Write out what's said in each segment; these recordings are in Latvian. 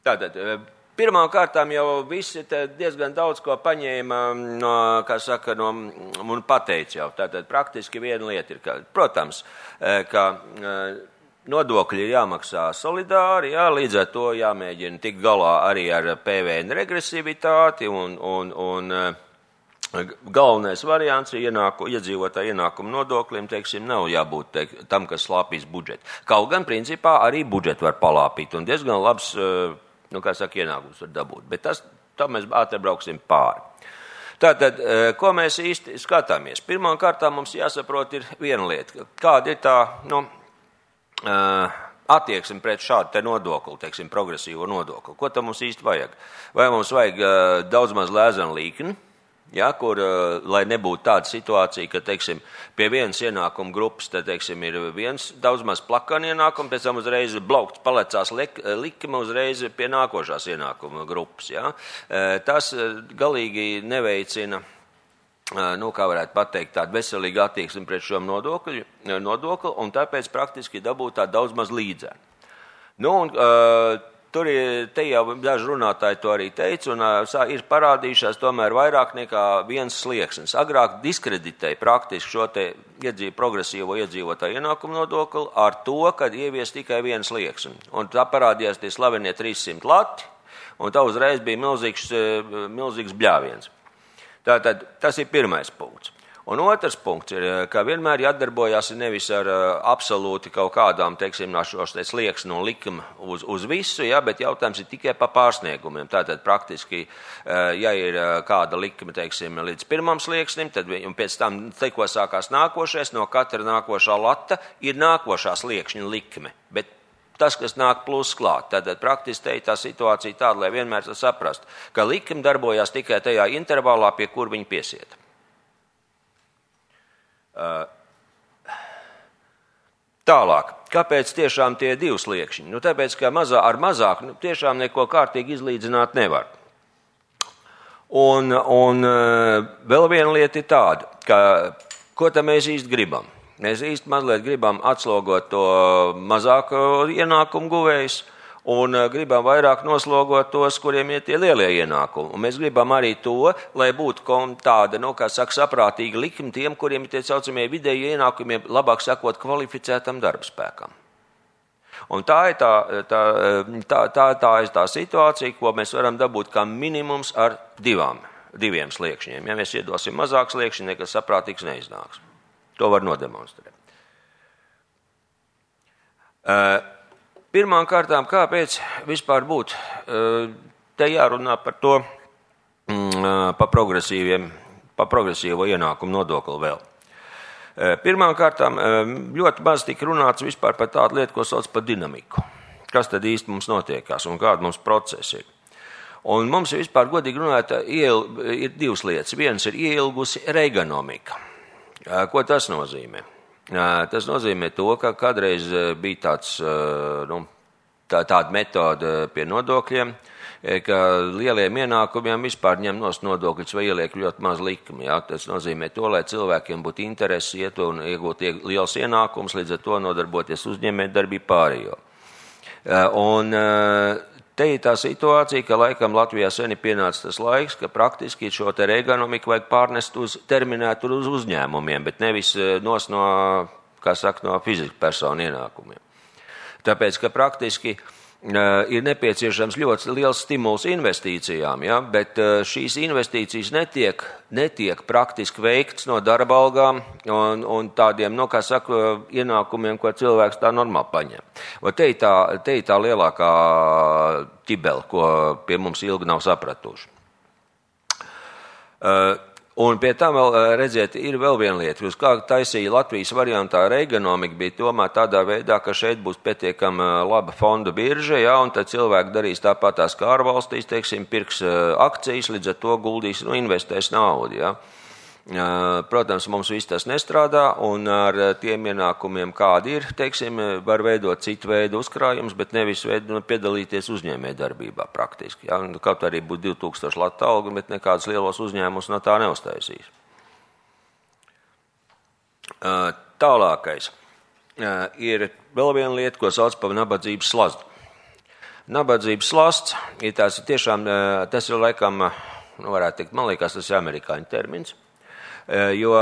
Tātad, pirmām kārtām jau visi diezgan daudz ko paņēma, un pateica jau. Tātad praktiski viena lieta ir, protams, ka nodokļi ir jāmaksā solidāri, līdz ar to jāmēģina tikt galā arī ar PVN regresivitāti un galvenais variants ir iedzīvotāju ienākumu nodoklim, nav jābūt tam, kas slāpīs budžetu. Kaut gan, principā, arī budžetu var palāpīt un diezgan labs, ienākums var dabūt. Bet tā mēs ātri brauksim pāri. Tātad, ko mēs īsti skatāmies? Pirmām kārtām mums jāsaprot ir viena lieta. Kāda ir tā, attieksme pret šādu te nodokli, progresīvo nodokli? Ko tam mums īsti vajag? Vai mums vajag daudz maz lēzenu līkni? Kur, lai nebūtu tāda situācija, ka, pie vienas ienākuma grupas, ir viens daudz maz plakani ienākumi, pēc tam uzreiz blaukts palecās likme uzreiz pie nākošās ienākuma grupas. Tas galīgi neveicina, kā varētu pateikt, tādu veselīgu attieksmi pret šo nodokli, un tāpēc praktiski dabūt tā daudz maz līdzēnu. Tur te jau daži runātāji to arī teica, un ir parādījušās tomēr vairāk nekā viens slieksnis. Agrāk diskreditēja praktiski šo te progresīvo iedzīvotāju ienākumu nodokli ar to, kad ievies tikai viens slieksni. Un tā parādījās tie slavenie 300 lati, un tā uzreiz bija milzīgs bļāviens. Tātad tas ir pirmais punkts. Un otrs punkts ir, ka vienmēr jādarbojās nevis ar absolūti kaut kādām, šos slieksni un likuma uz visu, bet jautājums ir tikai par pārsniegumiem. Tātad praktiski, ja ir kāda likme, līdz pirmam slieksnim, tad pēc tam tikko sākās nākošais, no katra nākošā lata ir nākošā sliekšņa likme. Bet tas, kas nāk plus klāt, tad praktiski tā situācija tāda, lai vienmēr saprastu, ka likme darbojās tikai tajā intervālā, pie kur viņi piesieta. Tālāk, kāpēc tiešām tie divi sliekšņi? Tāpēc, ka ar mazāku tiešām neko kārtīgi izlīdzināt nevar. Un vēl viena lieta ir tāda, ka ko tam mēs īsti gribam? Mēs īsti mazliet gribam atslogot to mazāko ienākumu guvējus un gribam vairāk noslogot tos, kuriem ir tie lielie ienākumi. Un mēs gribam arī to, lai būtu tāda, saprātīga likme tiem, kuriem ir tie saucamie vidēji ienākumiem, labāk sakot, kvalificētam darbspēkam. Un tā ir tā situācija, ko mēs varam dabūt kā minimums ar diviem sliekšņiem. Ja mēs iedosim mazāk sliekšņi, nekas saprātīgs neiznāks. To var nodemonstrēt. Pirmām kārtām, kāpēc vispār būtu te jārunā par to, par progresīvo ienākumu nodokli vēl. Pirmām kārtām ļoti maz tika runāts vispār par tādu lietu, ko sauc par dinamiku. Kas tad īsti mums notiekās un kāda mums procesi ir. Un mums vispār godīgi runāt ir divas lietas. Viens ir ieilgusi reiganomika. Ko tas nozīmē? Tas nozīmē to, ka kādreiz bija tāda metode pie nodokļiem, ka lieliem ienākumiem vispār ņem nost nodokļus vai ieliek ļoti maz likmi. Tas nozīmē to, lai cilvēkiem būtu interesi iet un iegūt liels ienākums, līdz ar to nodarboties uzņēmējdarbību pārējo. Un te ir tā situācija, ka laikam Latvijā sen ir pienācis tas laiks, ka praktiski šo te reiganomiku vajag pārnest terminēt uz uzņēmumiem, bet nevis no fizikas personu ienākumiem. Tāpēc, ka praktiski ir nepieciešams ļoti liels stimuls investīcijām, bet šīs investīcijas netiek praktiski veikts no darba algām un tādiem, ienākumiem, ko cilvēks tā normāli paņem. Te ir tā lielākā ķibele, ko pie mums ilgi nav sapratuši. Un pie tam vēl, redziet, ir vēl viena lieta. Jūs kā taisīja Latvijas variantā reiganomika bija domāta tādā veidā, ka šeit būs pietiekama laba fondu birža, un tad cilvēki darīs tāpatās kā ārvalstīs, pirks akcijas, līdz ar to guldīs, investēs naudu, Protams, mums viss tas nestrādā, un ar tiem ienākumiem, kādi ir, var veidot citu veidu uzkrājumus, bet nevis piedalīties uzņēmējdarbībā praktiski. Kaut arī būtu 2000 lata alga, bet nekādas lielos uzņēmumus no tā neuztaisīs. Tālākais ir vēl viena lieta, ko sauc par nabadzības slazdu. nabadzības slasts, tas ir laikam, varētu teikt, man liekas, tas ir amerikāņu termins, jo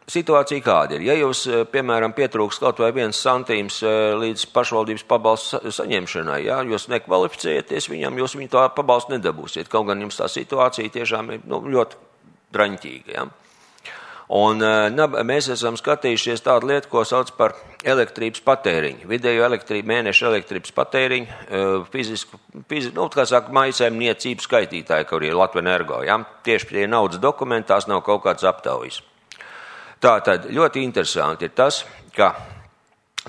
situācija kāda ir. Ja jūs, piemēram, pietrūks kaut vai 1 centīms līdz pašvaldības pabalstu saņemšanai, ja, jūs nekvalificējaties viņam, jūs viņu tā pabalstu nedabūsiet, kaut gan jums tā situācija tiešām ir ļoti draņķīga. Ja. Un mēs esam skatījušies tādu lietu, ko sauc par elektrības patēriņu. Vidējo mēneša elektrības patēriņu, kā saka, mājasēmniecību skaitītāji, kur ir Latvenergo. Ja? Tieši tie naudas dokumenti, tās nav kaut kāds aptaujas. Tātad ļoti interesanti ir tas, ka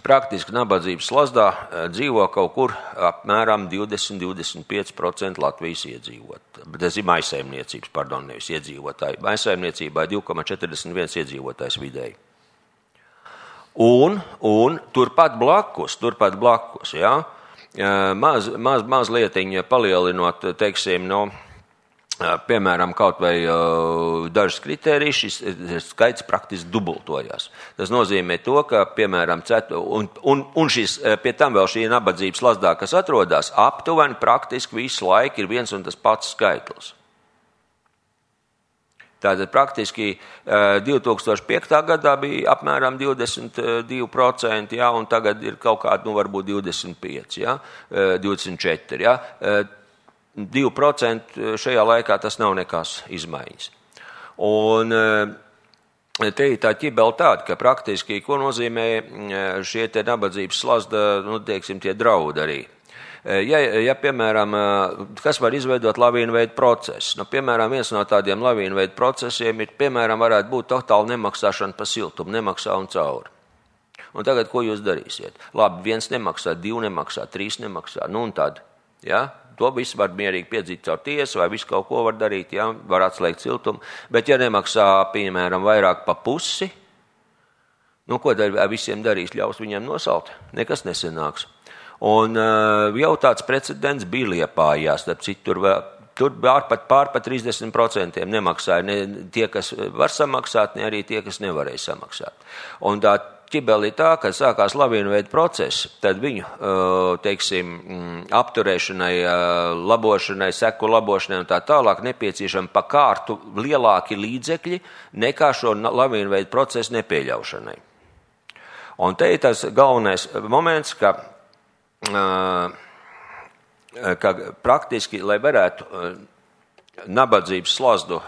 praktiski nabadzības slazdā dzīvo kaut kur apmēram 20–25% Latvijas iedzīvotāji. Tas ir mājasēmniecības, nevis iedzīvotāji. Mājasēmniecībā 2,41 iedzīvotājs vidēji. Un turpat blakus, ja, mazlietiņa palielinot, teiksim, piemēram, kaut vai dažas kritērijas, šis skaits praktiski dubultojās. Tas nozīmē to, ka, piemēram, un šis, pie tam vēl šī nabadzības slazdā, kas atrodas, aptuveni praktiski visu laiku ir viens un tas pats skaitlis. Tātad praktiski 2005. gadā bija apmēram 22%, ja, un tagad ir kaut kādi, varbūt 25%, ja, 24%. Ja. 2% šajā laikā tas nav nekas izmaiņas. Un te ir tā ķibela tāda, ka praktiski, ko nozīmē šie te nabadzības slazda, teiksim, tie draudi arī. Ja, piemēram, kas var izveidot lavīnu veidu procesu? Piemēram, viens no tādiem lavīnu veidu procesiem ir, piemēram, varētu būt totāli nemaksāšana pa siltumu, nemaksā un cauri. Un tagad, ko jūs darīsiet? Labi, 1 nemaksā, 2 nemaksā, 3 nemaksā, un tad, ja? To visu var mierīgi piedzīt caur tiesu, vai visu kaut ko var darīt, ja? Var atslēgt siltumu, bet ja nemaksā, piemēram, vairāk pa pusi, ko tad visiem darīs, ļaus viņiem nosalt? Nekas nesanāks. Un jau tāds precedents bija Liepājās, starp citu, tur pār 30% nemaksāja ne tie, kas var samaksāt, ne arī tie, kas nevarēja samaksāt. Un tā ķibeli ir tā, kad sākās lavīnu veidu process, tad viņu, teiksim, apturēšanai, labošanai, seku labošanai un tā tālāk nepieciešami pa kārtu lielāki līdzekļi nekā šo lavīnu veidu procesu nepieļaušanai. Un te ir tas galvenais moments, ka praktiski, lai varētu nabadzības slazdu,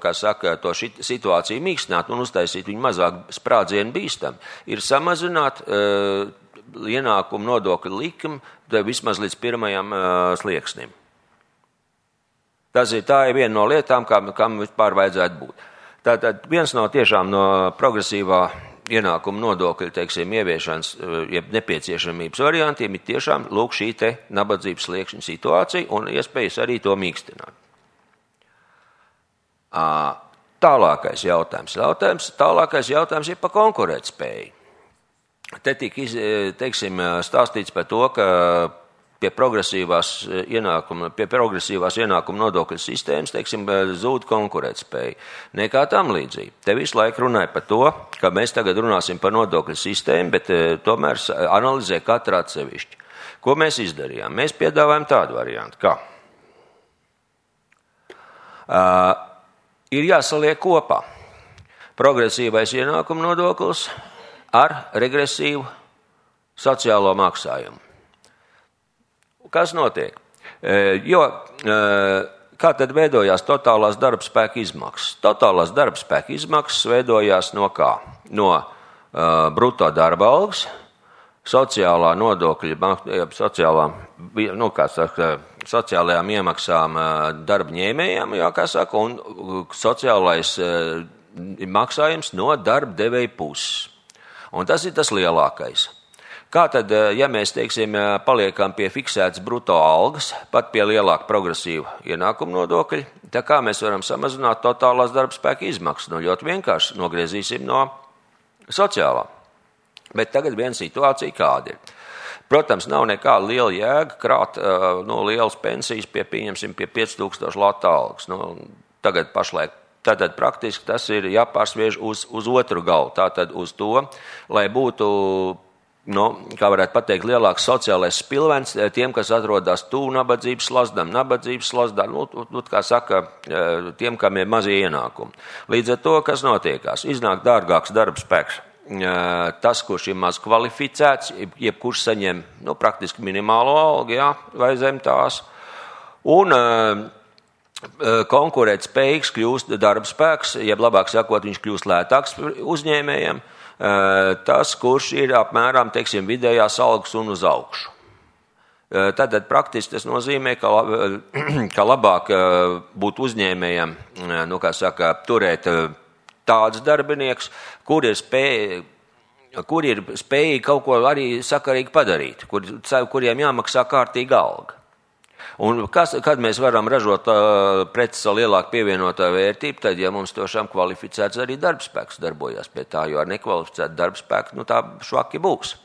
kā saka, to situāciju mīkstināt un uztaisīt viņu mazāk sprādzienu bīstam, ir samazināt ienākumu nodokļu likumu vismaz līdz 1. slieksnim. Tā ir viena no lietām, kam vispār vajadzētu būt. Tātad viens no tiešām no progresīvā ienākumu nodokļu, teiksim, ieviešanas, jeb nepieciešamības variantiem ir tiešām lūk šī te nabadzības sliekšņa situācija un iespējas arī to mīkstināt. Tālākais jautājums ir par konkurētspēju. Te tika, teiksim, stāstīts par to, ka pie progresīvās ienākuma nodokļu sistēmas, teiksim, zūd konkurētspēja. Nekā tam līdzīgi. Te visu laiku runāja par to, ka mēs tagad runāsim par nodokļu sistēmu, bet tomēr analizē katru atsevišķi. Ko mēs izdarījām? Mēs piedāvājam tādu variantu, kā ir jāsaliek kopā progresīvais ienākuma nodoklis ar regresīvu sociālo maksājumu. Kas notiek? Kā tad veidojās totālās darbspēka izmaksas? Totālās darbspēka izmaksas veidojās no kā? No bruto darba algas, sociālā nodokļa, sociālajām iemaksām darba ņēmējiem, kā saka, un sociālais maksājums no darba devēja puses. Un tas ir tas lielākais. Kā tad, ja mēs, teiksim, paliekam pie fiksētas bruto algas, pat pie lielāka progresīva ienākuma nodokļa, tā kā mēs varam samazināt totālās darba spēka izmaksas? Ļoti vienkārši nogriezīsim no sociālā. Bet tagad viena situācija kāda ir. Protams, nav nekāda liela jēga krāt lielas pensijas pieņemsim pie 5000 lata algas. Tagad pašlaik. Tātad praktiski tas ir jāpārsviež uz otru galu. Tātad uz to, lai būtu kā varētu pateikt, lielāks sociālais spilvens tiem, kas atrodas tuvu nabadzības slazdām, kā saka, tiem, kam ir mazie ienākumi. Līdz ar to, kas notiekās, iznāk dārgāks darbspēks. Tas, kurš ir maz kvalificēts, jebkurš saņem praktiski minimālo algu, vai zem tās, un konkurēt spējīgs kļūst darbspēks, jeb labāk sakot, viņš kļūst lētāks uzņēmējiem, tas, kurš ir apmēram, teiksim, vidējās algas un uz augšu. Tātad praktiski tas nozīmē, ka labāk būt uzņēmējiem, turēt tādus darbinieks, kur ir spējīgi kaut ko arī sakarīgi padarīt, kuriem jāmaksā kārtīga alga. Un kad mēs varam ražot preces ar lielāku pievienotā vērtību, tad, ja mums tiešām kvalificēts arī darbspēks darbojas pie tā, jo ar nekvalificētu darbspēku, tā švaki būs.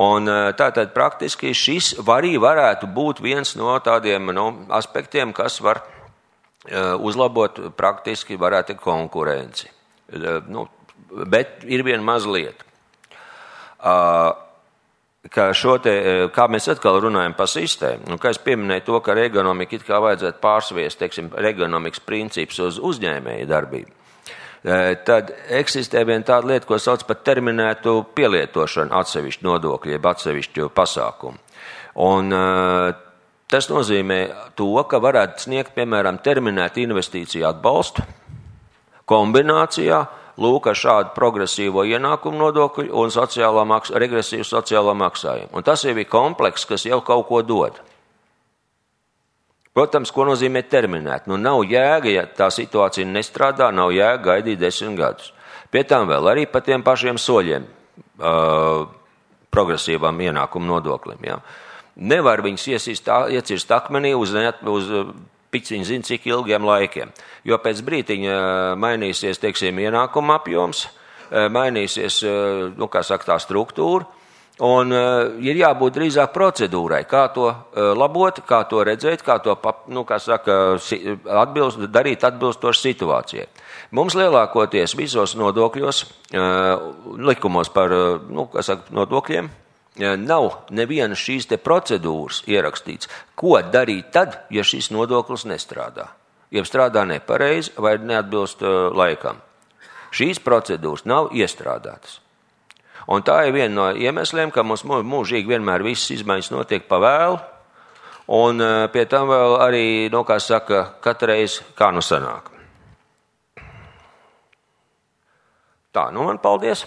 Un tātad praktiski šis arī varētu būt viens no tādiem aspektiem, kas var uzlabot praktiski varētu konkurenci. Bet ir viena mazliet. Kā mēs atkal runājam par sistēmu, kā es pieminēju to, ka ergonomika it kā vajadzētu pārsviest, teiksim, ergonomikas principus uz uzņēmēju darbību, tad eksistē viena tāda lieta, ko sauc par terminētu pielietošanu atsevišķu nodokļu, jeb atsevišķu pasākumu. Un tas nozīmē to, ka varētu sniegt, piemēram, terminētu investīciju atbalstu kombinācijā, lūk, ar šādu progresīvo ienākumu nodokļu un regresīvu sociālo maksājumu. Un tas jau ir komplekss, kas jau kaut ko dod. Protams, ko nozīmē terminēt? Nav jēga, ja tā situācija nestrādā, nav jēga gaidīt 10 gadus. Pie tām vēl arī pa tiem pašiem soļiem progresīvam ienākumu nodoklim. Ja? Nevar viņus iecirst akmenī uz piciņu zina, cik ilgiem laikiem. Jo pēc brītiņa mainīsies, teiksim, ienākuma apjoms, mainīsies, tā struktūra, un ir jābūt drīzāk procedūrai, kā to labot, kā to redzēt, kā to, darīt atbilstoši situācijai. Mums lielākoties visos nodokļos, likumos par, nodokļiem, nav nevienas šīs te procedūras ierakstīts, ko darīt tad, ja šis nodoklis nestrādā, jeb strādā nepareizi vai neatbilst laikam. Šīs procedūras nav iestrādātas. Un tā ir viena no iemesliem, ka mums mūžīgi vienmēr visas izmaiņas notiek pa vēlu, un pie tam vēl arī, katreiz kā sanāk. Tā, man paldies!